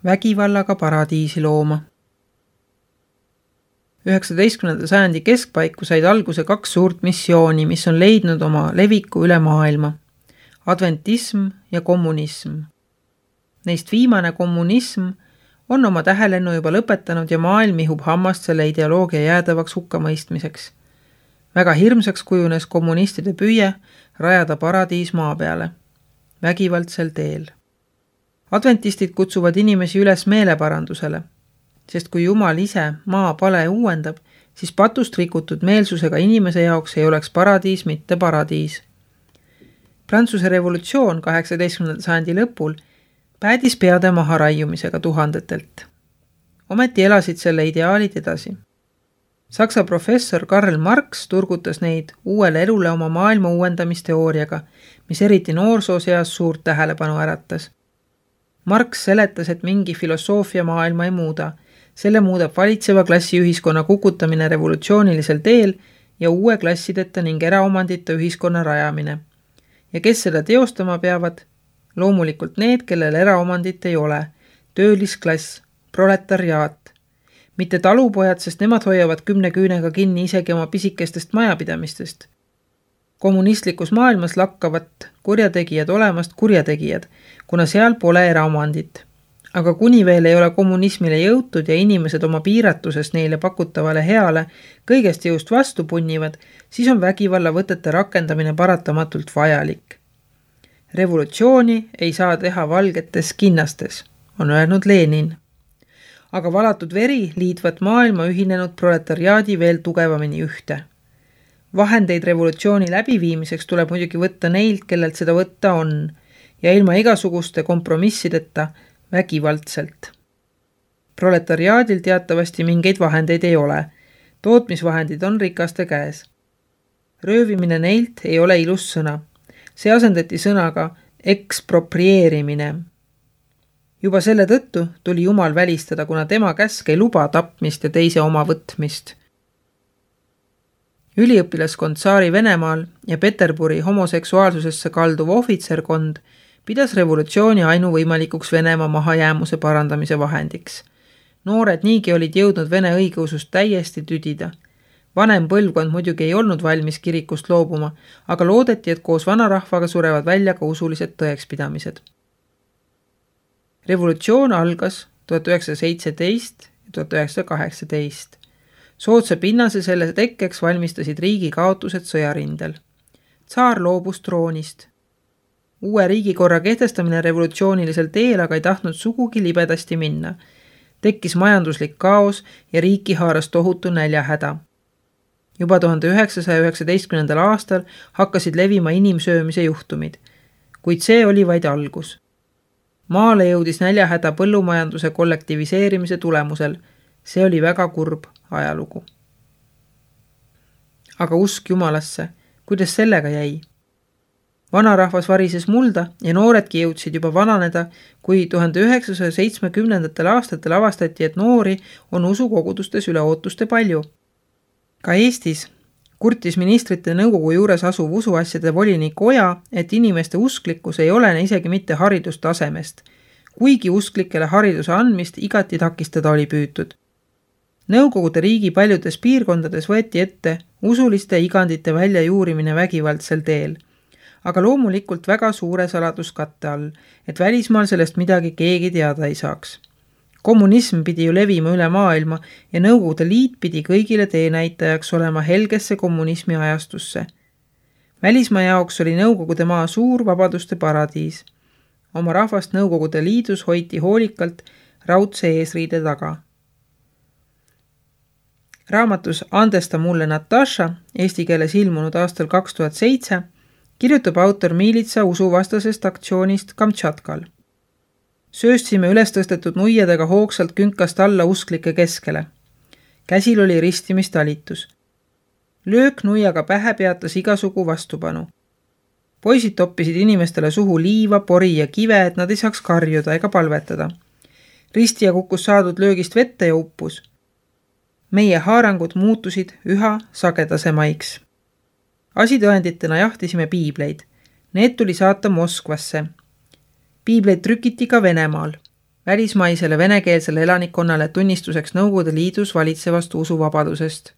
vägivallaga paradiisi looma. 19. sajandi keskpaiku said alguse 2 suurt missiooni, mis on leidnud oma leviku üle maailma. Adventism ja kommunism. Neist viimane kommunism on oma tähelennu juba lõpetanud ja maailm ihub hammast selle ideoloogia jäädavaks hukkamõistmiseks. Väga hirmsaks kujunes kommunistide püüe rajada paradiis maa peale. Vägivaldsel teel. Adventistid kutsuvad inimesi üles meeleparandusele, sest kui Jumal ise maa pale uuendab, siis patust rikutud meelsusega inimese jaoks ei oleks paradiis mitte paradiis. Prantsuse revolutsioon 18. sajandi lõpul päädis peade maha raiumisega tuhandetelt. Ometi elasid selle ideaalid edasi. Saksa professor Karl Marx turgutas neid uuele elule oma maailma uuendamisteooriaga, mis eriti noorsooseas suurt tähelepanu äratas. Marx seletas, et mingi filosoofia maailma ei muuda. Selle muudab valitseva klassiühiskonna kukutamine revolutsioonilisel teel ja uue klassideta ning eraomandita ühiskonna rajamine. Ja kes seda teostama peavad? Loomulikult need, kellel eraomandit ei ole. Töölisklass, proletariaat. Mitte talupojad, sest nemad hoiavad 10 küünega kinni isegi oma pisikestest majapidamistest. Kommunistlikus maailmas lakkavat kurjategijad olemast kurjategijad, kuna seal pole eraomandit. Aga kuni veel ei ole kommunismile jõutud ja inimesed oma piiratusest neile pakutavale heale kõigest jõust vastu punnivad, siis on vägivalla võtete rakendamine paratamatult vajalik. Revolutsiooni ei saa teha valgetes kinnastes, on öelnud Lenin. Aga valatud veri liitvat maailma ühinenud proletariaadi veel tugevamini ühte. Vahendeid revolutsiooni läbiviimiseks tuleb muidugi võtta neilt, kellelt seda võtta on, ja ilma igasuguste kompromissideta vägivaldselt. Proletariaadil teatavasti mingeid vahendeid ei ole. Tootmisvahendid on rikaste käes. Röövimine neilt ei ole ilus sõna. See asendati sõnaga eksproprieerimine. Juba selle tõttu tuli Jumal välistada, kuna tema käsk ei luba tapmist ja teise oma võtmist. Üliõpilaskond Tsaari Venemaal ja Peterburi homoseksuaalsusesse kalduv ohvitserkond pidas revolutsiooni ainuvõimalikuks Venemaa mahajäämuse parandamise vahendiks. Noored niigi olid jõudnud Vene õigeusust täiesti tüdida. Vanem põlvkond muidugi ei olnud valmis kirikust loobuma, aga loodeti, et koos vanarahvaga surevad välja ka usulised tõekspidamised. Revolutsioon algas 1917 ja 1918. Soodsa pinnase selle tekkeks valmistasid riigi kaotused sõjarindel. Tsaar loobus troonist. Uue riigikorra kehtestamine revolutsioonilisel teel aga ei tahtnud sugugi libedasti minna. Tekkis majanduslik kaos ja riiki haaras tohutu näljahäda. Juba 1919. aastal hakkasid levima inimsöömise juhtumid, kuid see oli vaid algus. Maale jõudis näljahäda põllumajanduse kollektiviseerimise tulemusel. See oli väga kurb ajalugu. Aga usk Jumalasse, kuidas sellega jäi? Vanarahvas varises mulda ja nooredki jõudsid juba vananeda, kui 1970. aastatel avastati, et noori on usukogudustes üle ootuste palju. Ka Eestis kurtis ministrite nõukogu juures asuv usuasjade volinik Oja, et inimeste usklikkus ei olene isegi mitte haridustasemest, kuigi usklikele hariduse andmist igati takistada oli püütud. Nõukogude riigi paljudes piirkondades võeti ette usuliste igandite väljajuurimine vägivaldsel teel, aga loomulikult väga suure saladuskatte all, et välismaal sellest midagi keegi teada ei saaks. Kommunism pidi ju levima üle maailma ja Nõukogude Liit pidi kõigile teenäitajaks olema helgesse kommunismi ajastusse. Välismaa jaoks oli Nõukogude maa suur vabaduste paradiis. Oma rahvast Nõukogude Liidus hoiti hoolikalt raudse eesriide taga. Raamatus Andesta mulle Natasha, eesti keeles ilmunud aastal 2007, kirjutab autor miilitsa usuvastasest aktsioonist Kamtšatkal. Sööstsime üles tõstetud nuiadega hoogsalt künkast alla usklike keskele. Käsil oli ristimistalitus. Löök nuiaga pähe peatas igasugu vastupanu. Poisid toppisid inimestele suhu liiva, pori ja kive, et nad ei saaks karjuda ega palvetada. Ristija kukkus saadud löögist vette ja uppus. Meie haarangud muutusid üha sagedasemaiks. Asitõenditena jahtisime piibleid. Need tuli saata Moskvasse. Piibleid trükiti ka Venemaal. välismaisele venekeelsele elanikkonnale tunnistuseks Nõukogude Liidus valitsevast usuvabadusest.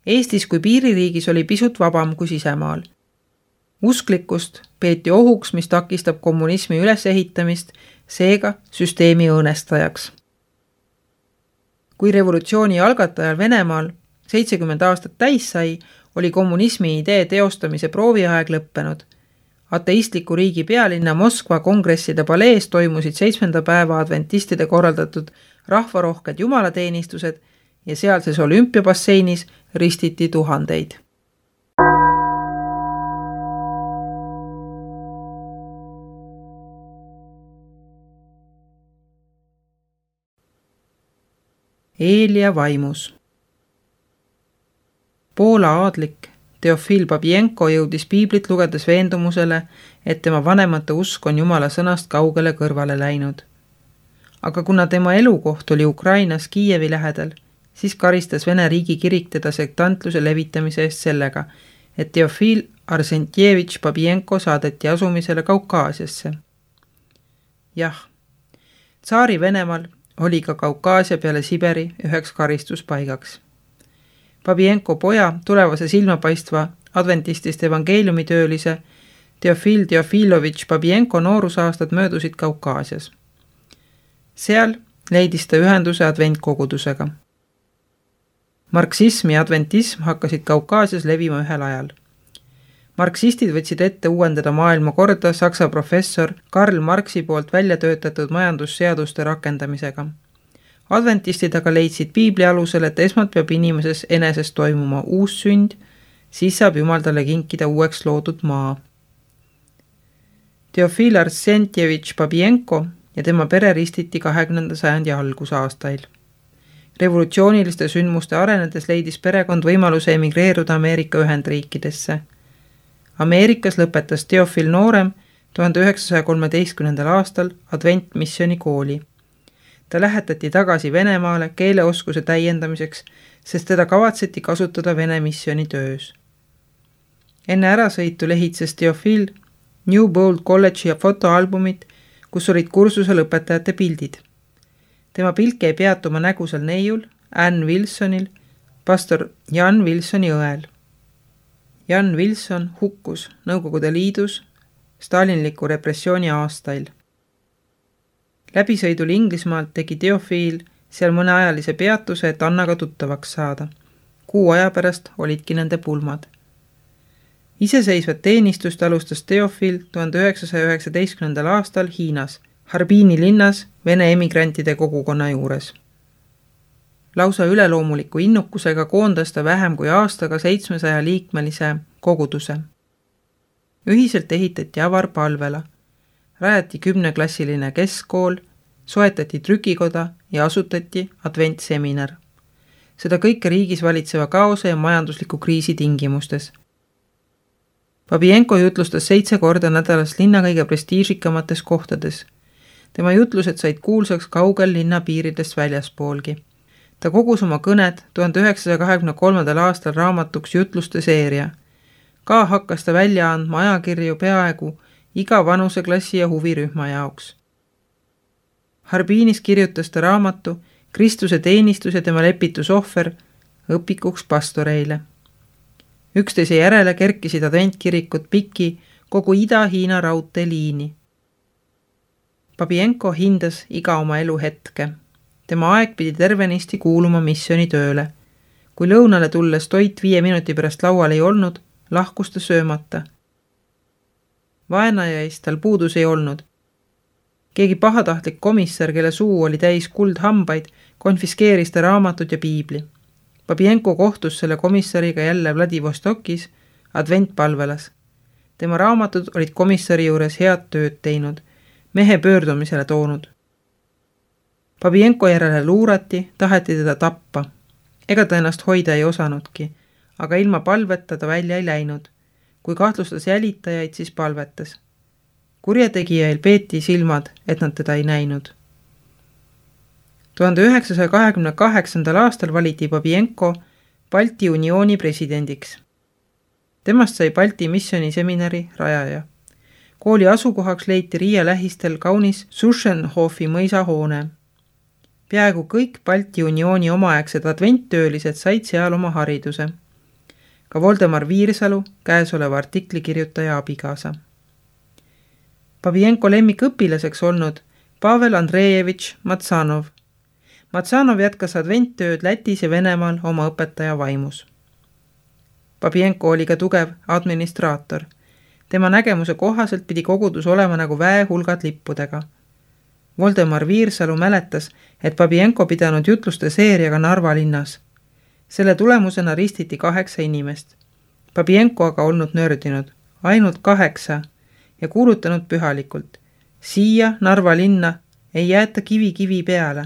Eestis kui piiririigis oli pisut vabam kui sisemaal. Usklikkust peeti ohuks, mis takistab kommunismi ülesehitamist, seega süsteemi õõnestajaks. Kui revolutsiooni algatajal Venemaal 70 aastat täis sai, oli kommunismi idee teostamise prooviaeg lõppenud. Ateistliku riigi pealinna Moskva kongresside palees toimusid 7. päeva adventistide korraldatud rahvarohked jumalateenistused ja sealses olümpiabasseinis ristiti tuhandeid. Eelia vaimus. Poola aadlik Teofil Babienko jõudis piiblit lugedes veendumusele, et tema vanemate usk on Jumala sõnast kaugele kõrvale läinud. Aga kuna tema elukoht oli Ukrainas Kiievi lähedal, siis karistas Vene riigi kirik teda sektantluse levitamise eest sellega, et Teofil Arsentjevitš Babienko saadeti asumisele Kaukaasiasse. Jah, tsaari Venemaal oli ka Kaukaasia peale Siberi üheks karistuspaigaks. Babienko poja, tulevase silmapaistva adventistist evangeeliumitöölise Teofil Teofilovitš Babienko noorusaastad möödusid Kaukaasias. Seal leidis ta ühenduse adventkogudusega. Marksism ja adventism hakkasid Kaukaasias levima ühel ajal. Marksistid võtsid ette uuendada maailmakorda saksa professor Karl Marxi poolt välja töötatud majandusseaduste rakendamisega. Adventistid aga leidsid piibli alusel, et esmalt peab inimeses eneses toimuma uus sünd, siis saab Jumal talle kinkida uueks loodud maa. Teofil Arsentjevitš Babienko ja tema pere ristiti 20. sajandi algusaastail. Revolutsiooniliste sündmuste arenedes leidis perekond võimaluse emigreeruda Ameerika Ühendriikidesse. Ameerikas lõpetas Teofil noorem 1913. aastal adventmissiooni kooli. Ta lähetati tagasi Venemaale keeleoskuse täiendamiseks, sest teda kavatseti kasutada Vene missiooni töös. Enne ärasõitu lehitses Teofil New Bold College'i fotoalbumit, kus olid kursusel õpetajate pildid. Tema pilt jäi peatuma nägusel neiul, Ann Wilsonil, pastor Jan Wilsoni õel. Jan Wilson hukkus Nõukogude Liidus stalinliku repressiooni aastail. Läbisõidul Inglismaalt tegi Teofil seal mõneajalise peatuse, et Annaga tuttavaks saada. Kuu aja pärast olidki nende pulmad. Iseseisvat teenistust alustas Teofil 1919. aastal Hiinas, Harbini linnas Vene emigrantide kogukonna juures. Lausa üleloomuliku innukusega koondas ta vähem kui aastaga 700 liikmelise koguduse. Ühiselt ehitati avar palvela, rajati 10-klassiline keskkool, soetati trükikoda ja asutati adventseminar. Seda kõike riigis valitseva kaose ja majandusliku kriisi tingimustes. Babienko jutlustas 7 korda nädalas linna kõige prestiižikamates kohtades. Tema jutlused said kuulsaks kaugel linna piiridest väljaspoolgi. Ta kogus oma kõned 1923. aastal raamatuks jutluste seeria. Ka hakkas ta välja andma ajakirju peaaegu iga vanuseklassi ja huvirühma jaoks. Harbinis kirjutas ta raamatu Kristuse teenistus ja tema lepitusohver õpikuks pastoreile. Üksteise järele kerkisid adventkirikud piki kogu Ida-Hiina raudteeliini. Babienko hindas iga oma elu hetke. Tema aeg pidi tervenisti kuuluma missiooni tööle. Kui lõunale tulles toit 5 minuti pärast laual ei olnud, lahkus ta söömata. Vaenajaist tal puudus ei olnud. Keegi pahatahtlik komissar, kelle suu oli täis kuldhambaid, konfiskeeris ta raamatud ja piibli. Babienko kohtus selle komissariga jälle Vladivostokis adventpalvelas. Tema raamatud olid komissari juures head tööd teinud, mehe pöördumisele toonud. Babienko järele luurati, taheti teda tappa. Ega ta ennast hoida ei osanudki, aga ilma palveta ta välja ei läinud. Kui kahtlustas jälitajaid, siis palvetas. Kurjategijail peeti silmad, et nad teda ei näinud. 1928. aastal valiti Babienko Balti Uniooni presidendiks. Temast sai Balti missiooniseminari rajaja. Kooli asukohaks leiti Riia lähistel kaunis Suschenhofi mõisahoone. Peaaegu kõik Balti Uniooni omaaegsed adventtöölised said seal oma hariduse. Ka Voldemar Viirsalu, käesoleva artikli kirjutaja abikaasa. Babienko lemmikõpilaseks olnud Pavel Andrejevitš Matsanov. Matsanov jätkas adventtööd Lätis ja Venemaal oma õpetaja vaimus. Babienko oli ka tugev administraator. Tema nägemuse kohaselt pidi kogudus olema nagu väehulgad lippudega. Voldemar Viirsalu mäletas, et Babienko pidanud jutluste seeriaga Narva linnas. Selle tulemusena ristiti 8 inimest. Babienko aga olnud nördinud, ainult 8 ja kuulutanud pühalikult. Siia Narva linna ei jäeta kivi peale.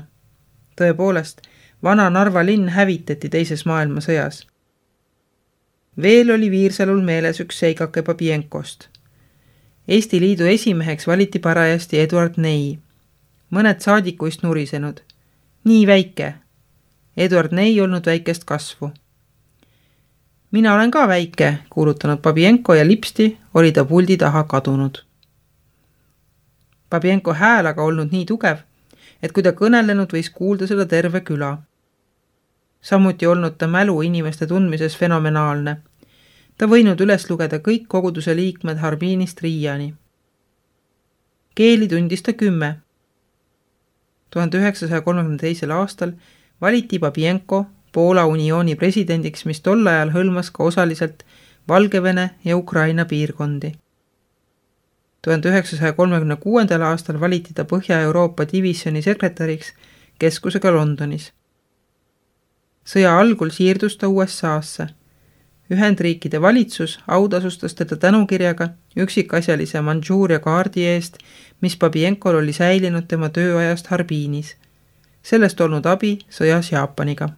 Tõepoolest, vana Narva linn hävitati teises maailmasõjas. Veel oli Viirsalul meeles üks seikake Babienkost. Eesti Liidu esimeheks valiti parajasti Eduard Ney. Mõned saadikuist nurisenud. Nii väike. Eduard Ney olnud väikest kasvu. Mina olen ka väike, kuulutanud Babienko ja lipsti oli ta puldi taha kadunud. Babienko hääl aga olnud nii tugev, et kui ta kõnelenud võis kuulda seda terve küla. Samuti olnud ta mälu inimeste tundmises fenomenaalne. Ta võinud üles lugeda kõik koguduse liikmed Harbinist Riiani. Keeli tundis ta 10. 1932. aastal valiti Babienko Poola uniooni presidendiks, mis tol ajal hõlmas ka osaliselt Valgevene ja Ukraina piirkondi. 1936. aastal valiti ta Põhja-Euroopa divisjoni sekretäriks keskusega Londonis. Sõja algul siirdus ta USA-sse. Ühendriikide valitsus autasustas teda tänukirjaga üksikasjalise Mandžuuria kaardi eest, mis Babienkol oli säilinud tema tööajast Harbinis. Sellest olnud abi sõjas Jaapaniga.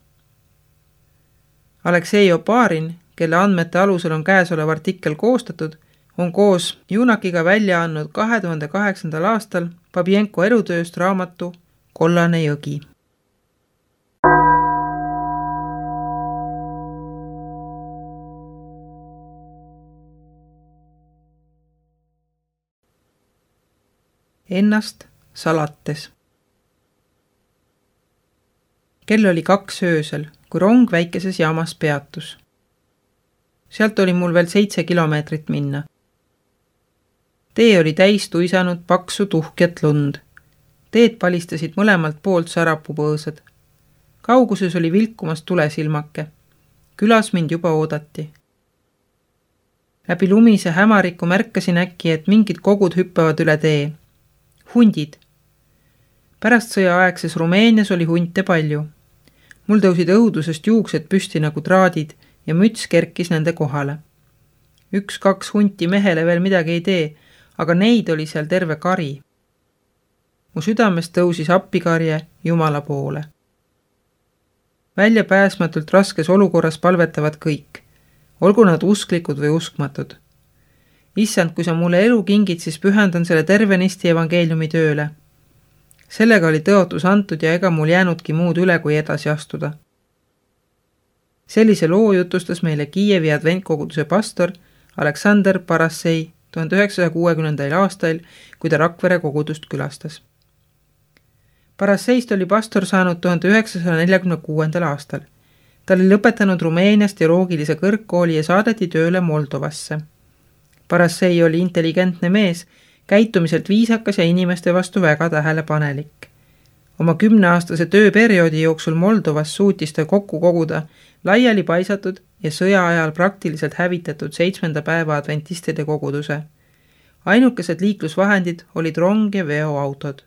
Aleksei Oparin, kelle andmete alusel on käesolev artikkel koostatud, on koos Junakiga välja andnud 2008. aastal Babienko elutööst raamatu Kollane jõgi. Ennast salates. Kell oli 2 öösel, kui rong väikeses jaamas peatus. Sealt oli mul veel 7 kilomeetrit minna. Tee oli täis tuisanud paksu tuhkjat lund. Teed palistasid mõlemalt poolt sarapupõõsad. Kauguses oli vilkumas tulesilmake. Külas mind juba oodati. Läbi lumise hämariku märkasin äkki, et mingid kogud hüppavad üle tee. Hundid. Pärast sõjaaegses Rumeenias oli hunte palju. Mul tõusid õudusest juuksed püsti nagu traadid ja müts kerkis nende kohale. 1-2 hunti mehele veel midagi ei tee, aga neid oli seal terve kari. Mu südamest tõusis appikarje Jumala poole. Väljapääsmatult raskes olukorras palvetavad kõik, olgu nad usklikud või uskmatud. Issand, kui sa mulle elu kingid, siis pühendan selle tervenisti evangeeliumi tööle. Sellega oli tõotus antud ja ega mul jäänudki muud üle, kui edasi astuda. Sellise loo jutustas meile Kiievi adventkoguduse pastor Aleksander Parassei 1960. aastail, kui ta Rakvere kogudust külastas. Parasseist oli pastor saanud 1946. aastal. Ta oli lõpetanud Rumeenias teoloogilise kõrgkooli ja saadeti tööle Moldovasse. Parassei oli intelligentne mees, käitumiselt viisakas ja inimeste vastu väga tähelepanelik. Oma 10-aastase tööperioodi jooksul Moldovas suutis ta kokku koguda laiali paisatud ja sõja ajal praktiliselt hävitatud 7. päeva adventistide koguduse. Ainukesed liiklusvahendid olid rong ja veoautod.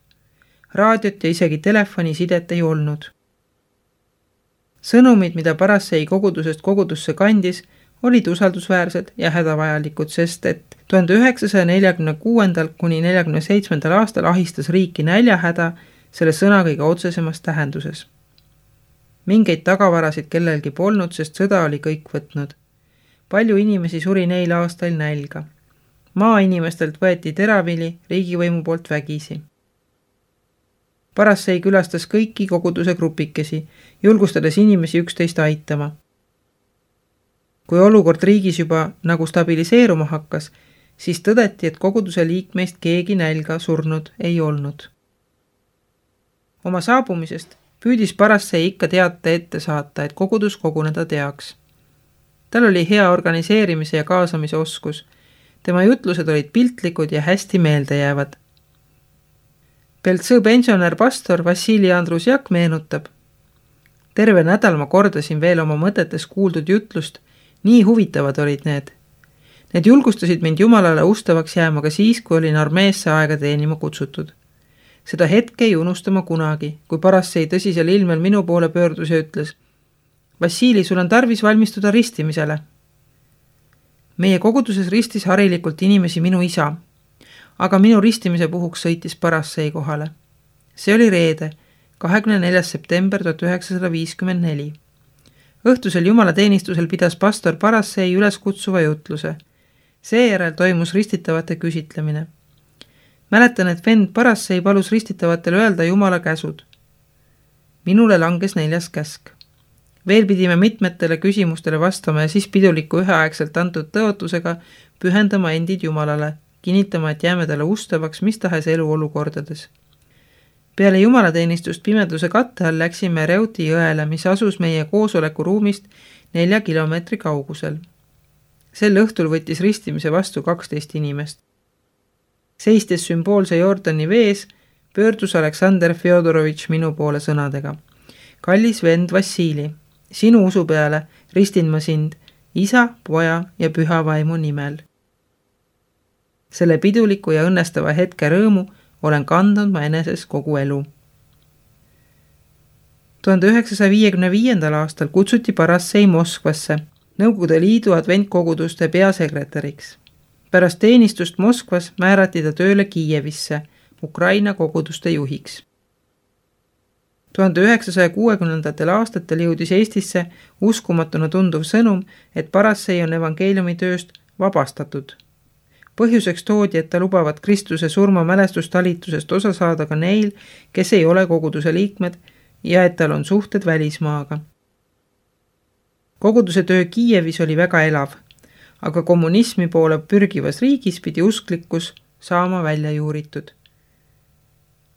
Raadiot ja isegi telefonisidet ei olnud. Sõnumid, mida Parassei kogudusest kogudusse kandis, olid usaldusväärsed ja hädavajalikud, sest et 1946. kuni 1947. aastal ahistas riiki näljahäda selle sõna kõige otsesemas tähenduses. Mingeid tagavarasid kellelgi polnud, sest sõda oli kõik võtnud. Palju inimesi suri neil aastail nälga. Maainimestelt võeti teravili riigivõimu poolt vägisi. Parassei külastas kõiki koguduse grupikesi, julgustades inimesi üksteist aitama. Kui olukord riigis juba nagu stabiliseeruma hakkas, siis tõdeti, et koguduse liikmeist keegi nälga surnud ei olnud. Oma saabumisest püüdis Parassei ikka teate ette saata, et kogudus koguneda teaks. Tal oli hea organiseerimise ja kaasamise oskus. Tema jutlused olid piltlikud ja hästi meelde jäävad. Beltsõ pensionär pastor Vassili Andrusjak meenutab. Terve nädal ma kordasin veel oma mõtetes kuuldud jutlust, nii huvitavad olid need. Need julgustasid mind Jumalale ustavaks jääma ka siis, kui olin armeesse aega teenima kutsutud. Seda hetke ei unustama kunagi, kui Parassei tõsisel ilmel minu poole pöördus ja ütles: Vassili, sul on tarvis valmistuda ristimisele. Meie koguduses ristis harilikult inimesi minu isa, aga minu ristimise puhuks sõitis Parassei kohale. See oli reede, 24. september 1954. Õhtusel jumalateenistusel pidas pastor Parassei üles kutsuva jutluse. Seejärel toimus ristitavate küsitlemine. Mäletan, et vend Parassei palus ristitavatel öelda Jumala käsud. Minule langes 4. käsk. Veel pidime mitmetele küsimustele vastama ja siis piduliku üheaegselt antud tõotusega pühendama endid Jumalale, kinnitama, et jääme talle ustavaks mis tahes eluolukordades. Peale jumalateenistust pimeduse katte all läksime Reuti jõele, mis asus meie koosolekuruumist 4 kilomeetri kaugusel. Sel õhtul võttis ristimise vastu 12 inimest. Seistes sümboolse Jordani vees, pöördus Aleksander Fjodorovitš minu poole sõnadega. Kallis vend Vassili, sinu usu peale ristin ma sind isa, poja ja püha vaimu nimel. Selle piduliku ja õnnestava hetke rõõmu olen kandnud ma eneses kogu elu. 1955. aastal kutsuti Parassei Moskvasse, Nõukogude Liidu adventkoguduste peasekretäriks. Pärast teenistust Moskvas määrati ta tööle Kiievisse, Ukraina koguduste juhiks. 1960. aastatel jõudis Eestisse uskumatuna tunduv sõnum, et Parassei on evangeeliumi tööst vabastatud. Põhjuseks toodi, et ta lubavad Kristuse surma mälestustalitusest osa saada ka neil, kes ei ole koguduse liikmed ja et tal on suhted välismaaga. Koguduse töö Kiievis oli väga elav, aga kommunismi poole pürgivas riigis pidi usklikkus saama välja juuritud.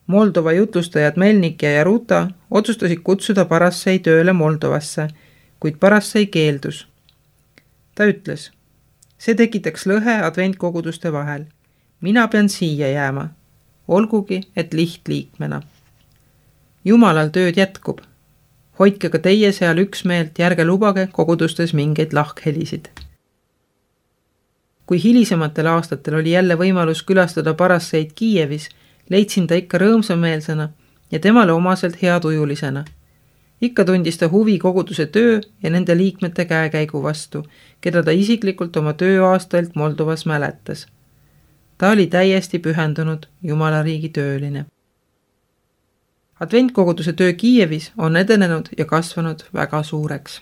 Moldova jutlustajad Melnik ja Jaruta otsustasid kutsuda Parassei tööle Moldovasse, kuid Parassei keeldus. Ta ütles: see tekitaks lõhe adventkoguduste vahel. Mina pean siia jääma, olgugi et lihtliikmena. Jumalal tööd jätkub. Hoidke ka teie seal üksmeelt, järge lubage kogudustes mingeid lahkhelisid. Kui hilisematel aastatel oli jälle võimalus külastada Parasseid Kiievis, leidsin ta ikka rõõmsameelsena ja temale omaselt heatujulisena. Ikka tundis ta huvi koguduse töö ja nende liikmete käekäigu vastu, keda ta isiklikult oma tööaastailt Moldovas mäletas. Ta oli täiesti pühendunud Jumala riigi tööline. Adventkoguduse töö Kiievis on edenenud ja kasvanud väga suureks.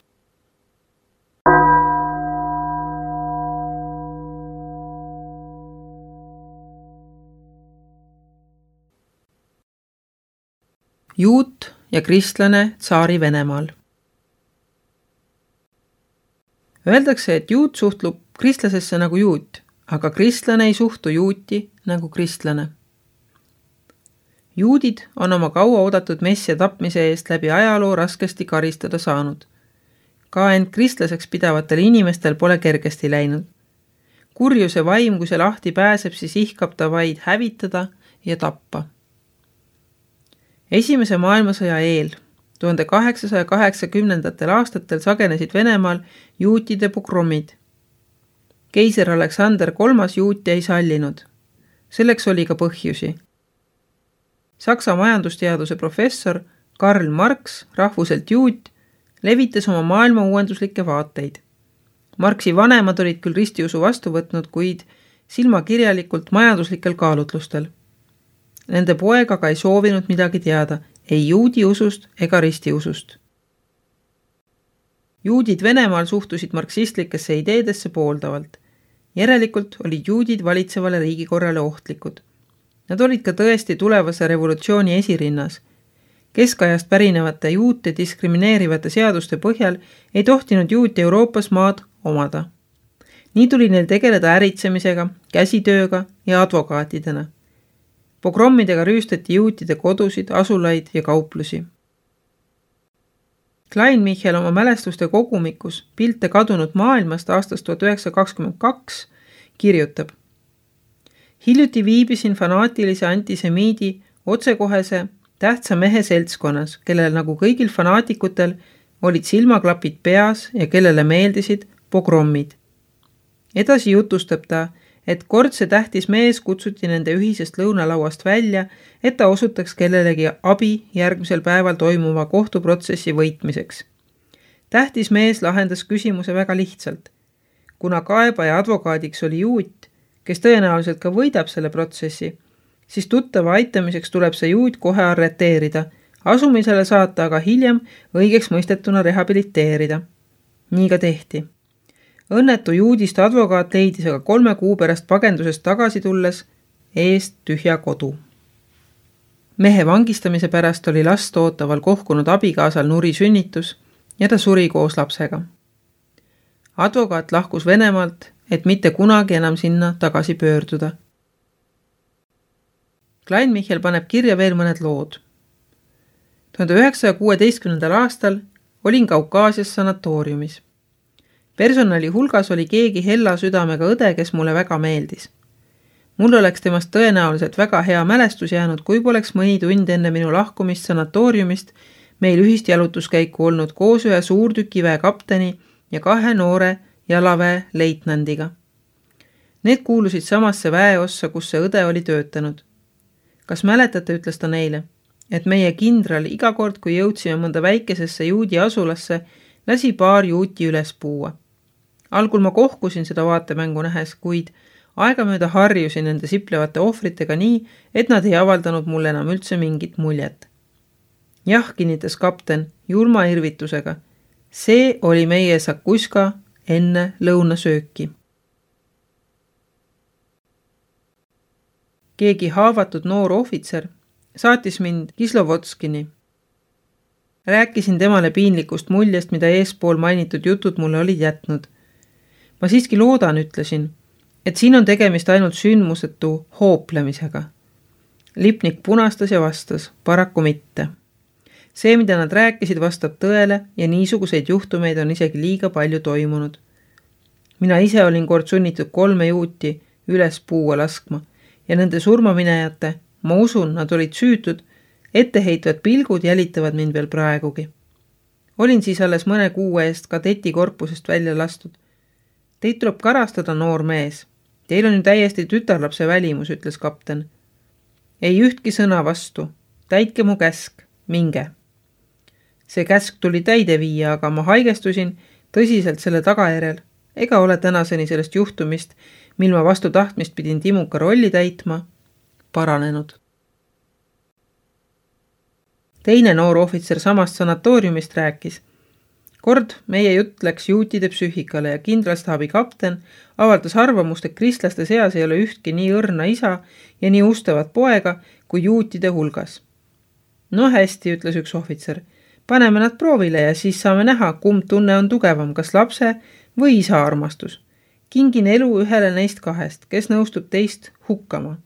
Juut ja kristlane tsaari Venemaal. Öeldakse, et juut suhtlub kristlasesse nagu juut, aga kristlane ei suhtu juuti nagu kristlane. Juudid on oma kaua oodatud messia tapmise eest läbi ajaloo raskesti karistada saanud. Ka end kristlaseks pidavatel inimestel pole kergesti läinud. Kurjuse vaim, kui see lahti pääseb, siis ihkab ta vaid hävitada ja tappa. Esimese maailmasõja eel, 1880. aastatel sagenesid Venemaal juutide pogromid. Keiser Aleksander III juute ei sallinud. Selleks oli ka põhjusi. Saksa majandusteaduse professor Karl Marx, rahvuselt juut, levitas oma maailma uuenduslikke vaateid. Marxi vanemad olid küll ristiusu vastu võtnud, kuid silmakirjalikult majanduslikel kaalutlustel. Nende poeg aga ei soovinud midagi teada, ei juudi usust ega ristiusust. Juudid Venemaal suhtusid marksistlikesse ideedesse pooldavalt. Järelikult olid juudid valitsevale riigikorrale ohtlikud. Nad olid ka tõesti tulevase revolutsiooni esirinnas. Keskajast pärinevate juute diskrimineerivate seaduste põhjal ei tohtinud juut Euroopas maad omada. Nii tuli neil tegeleda äritsemisega, käsitööga ja advokaatidena. Pogrommidega rüüstati juutide kodusid, asulaid ja kauplusi. Klein-Michel oma mälestuste kogumikus pilte kadunud maailmast aastast 1922 kirjutab: Hiljuti viibisin fanaatilise antisemiidi otsekohese tähtsa mehe seltskonnas, kellel nagu kõigil fanaatikutel olid silmaklapid peas ja kellele meeldisid pogrommid. Edasi jutustab ta, et kord see tähtis mees kutsuti nende ühisest lõunalauast välja, et ta osutaks kellelegi abi järgmisel päeval toimuva kohtuprotsessi võitmiseks. Tähtis mees lahendas küsimuse väga lihtsalt. Kuna kaebaja advokaadiks oli juut, kes tõenäoliselt ka võidab selle protsessi, siis tuttava aitamiseks tuleb see juut kohe arreteerida, asumisele saata aga hiljem õigeks mõistetuna rehabiliteerida. Nii ka tehti. Õnnetu juudist advokaat leidis aga 3 kuu pärast pagendusest tagasi tulles eest tühja kodu. Mehe vangistamise pärast oli last ootaval kohkunud abikaasal nuri sünnitus ja ta suri koos lapsega. Advokaat lahkus Venemaalt, et mitte kunagi enam sinna tagasi pöörduda. Klein-Michel paneb kirja veel mõned lood. 1916. aastal olin Kaukaasias sanatooriumis. Personali hulgas oli keegi hella südamega õde, kes mulle väga meeldis. Mul oleks temast tõenäoliselt väga hea mälestus jäänud, kui poleks mõni tund enne minu lahkumist sanatooriumist meil ühist jalutuskäiku olnud koos ühe suurtükiväe kapteni ja 2 noore jalaväe leitnandiga. Need kuulusid samasse väeossa, kus see õde oli töötanud. Kas mäletate, ütles ta neile, et meie kindral iga kord, kui jõudsime mõnda väikesesse juudi asulasse, lasi paar juuti üles puua. Algul ma kohkusin seda vaatemängu nähes, kuid aegamööda harjusin nende siplevate ohvritega nii, et nad ei avaldanud mulle enam üldse mingit muljet. Jah, kinnitas kapten julma irvitusega. See oli meie sakuska enne lõunasööki. Keegi haavatud noor ohvitser saatis mind Kislovodskini. Rääkisin temale piinlikust muljest, mida eespool mainitud jutud mulle olid jätnud. Ma siiski loodan, ütlesin, et siin on tegemist ainult sündmusetu hooplemisega. Lipnik punastas ja vastas, paraku mitte. See, mida nad rääkisid, vastab tõele ja niisuguseid juhtumeid on isegi liiga palju toimunud. Mina ise olin kord sunnitud 3 juuti üles puua laskma ja nende surmaminejate, ma usun, nad olid süütud, etteheitvad pilgud jälitavad mind veel praegugi. Olin siis alles mõne kuu eest kadeti korpusest välja lastud. Teid tuleb karastada, noor mees. Teil on ju täiesti tütarlapse välimus, ütles kapten. Ei ühtki sõna vastu. Täitke mu käsk. Minge. See käsk tuli täide viia, aga ma haigestusin tõsiselt selle tagajärjel. Ega ole tänaseni sellest juhtumist, mil ma vastu tahtmist pidin Timuka rolli täitma, paranenud. Teine noor ohvitser samast sanatooriumist rääkis. Kord meie jutt läks juutide psüühikale ja kindralstaabi kapten avaldas arvamust, et kristlaste seas ei ole ühtki nii õrna isa ja nii ustavat poega kui juutide hulgas. No hästi, ütles üks ohvitser. Paneme nad proovile ja siis saame näha, kumb tunne on tugevam, kas lapse või isa armastus. Kingin elu ühele neist 2, kes nõustub teist hukkama.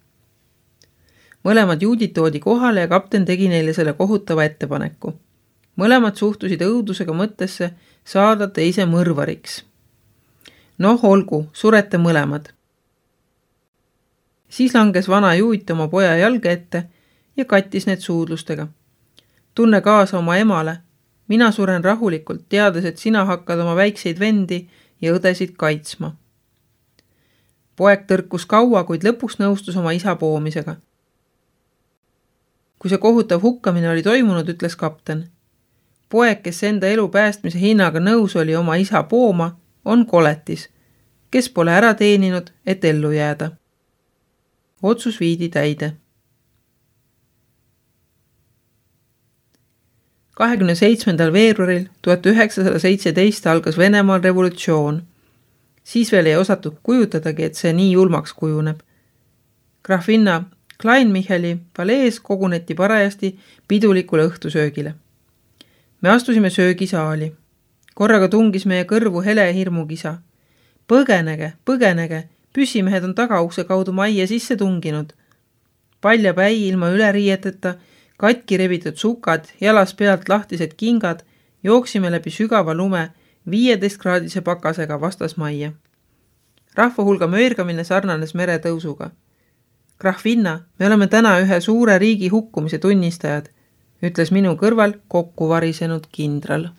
Mõlemad juudid toodi kohale ja kapten tegi neile selle kohutava ettepaneku. Mõlemad suhtusid õudusega mõttesse saada teise mõrvariks. Noh, olgu, surete mõlemad. Siis langes vana juut oma poja jalge ette ja kattis need suudlustega. Tunne kaasa oma emale. Mina suren rahulikult, teades, et sina hakkad oma väikseid vendi ja õdesid kaitsma. Poeg tõrkus kaua, kuid lõpuks nõustus oma isa poomisega. Kui see kohutav hukkamine oli toimunud, ütles kapten. Poeg, kes enda elu päästmise hinnaga nõus oli oma isa pooma, on koletis, kes pole ära teeninud, et ellu jääda. Otsus viidi täide. 27. veebruaril 1917 algas Venemaal revolutsioon. Siis veel ei osatud kujutadagi, et see nii julmaks kujuneb. Graafinna Klein-Micheli palees koguneti parajasti pidulikule õhtusöögile. Me astusime söögisaali. Korraga tungis meie kõrvu hele hirmukisa. Põgenege, põgenege, püssimehed on tagaukse kaudu majja sisse tunginud. Palja päi ilma üleriieteta, katki rebitud sukad, jalas pealt lahtised kingad, jooksime läbi sügava lume 15-kraadise pakasega vastasmajja. Rahvahulga möörgamine sarnanes meretõusuga. Grahvinna, me oleme täna ühe suure riigi hukkumise tunnistajad, ütles minu kõrval kokku varisenud kindral.